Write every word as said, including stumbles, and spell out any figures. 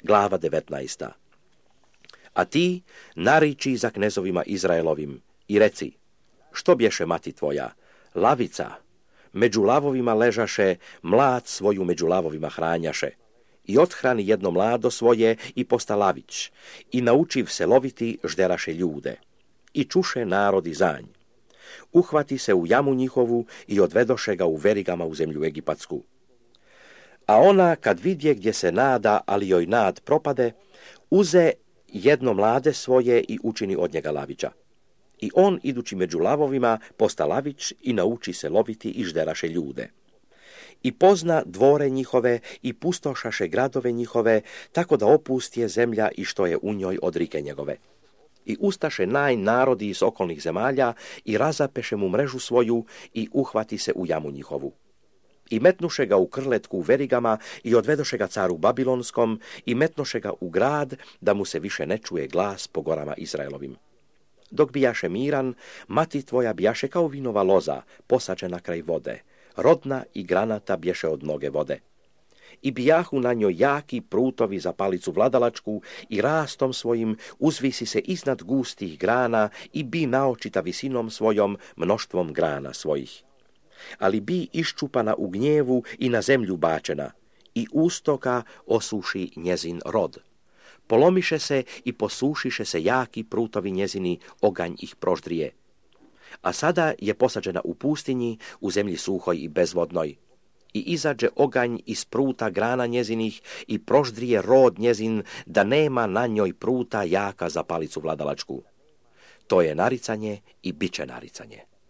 Glava devetnaesta. A ti nariči za knezovima Izraelovim i reci, što bješe mati tvoja? Lavica. Među lavovima ležaše, mlad svoju među lavovima hranjaše. I othrani jedno mlado svoje i posta lavić. I naučiv se loviti žderaše ljude. I čuše narodi zanj. Uhvati se u jamu njihovu i odvedoše ga u verigama u zemlju egipatsku. A ona, kad vidje gdje se nada, ali joj nad propade, uze jedno mlade svoje i učini od njega lavića. I on, idući među lavovima, posta lavić i nauči se loviti i žderaše ljude. I pozna dvore njihove i pustošaše gradove njihove, tako da opustije zemlja i što je u njoj od rike njegove. I ustaše naj narodi iz okolnih zemalja i razapeše mu mrežu svoju i uhvati se u jamu njihovu. I metnuše ga u krletku u verigama i odvedoše ga caru Babilonskom i metnoše ga u grad da mu se više ne čuje glas po gorama Izraelovim. Dok bijaše miran, mati tvoja bijaše kao vinova loza, posađena kraj vode, rodna i granata bješe od mnoge vode. I bijahu na njoj jaki prutovi za palicu vladalačku i rastom svojim uzvisi se iznad gustih grana i bi naočita visinom svojom mnoštvom grana svojih. Ali bi iščupana u gnjevu i na zemlju bačena, i ustoka osuši njezin rod. Polomiše se i posušiše se jaki prutovi njezini, oganj ih proždrije. A sada je posađena u pustinji, u zemlji suhoj i bezvodnoj. I izađe oganj iz pruta grana njezinih i proždrije rod njezin, da nema na njoj pruta jaka za palicu vladalačku. To je naricanje i bit će naricanje.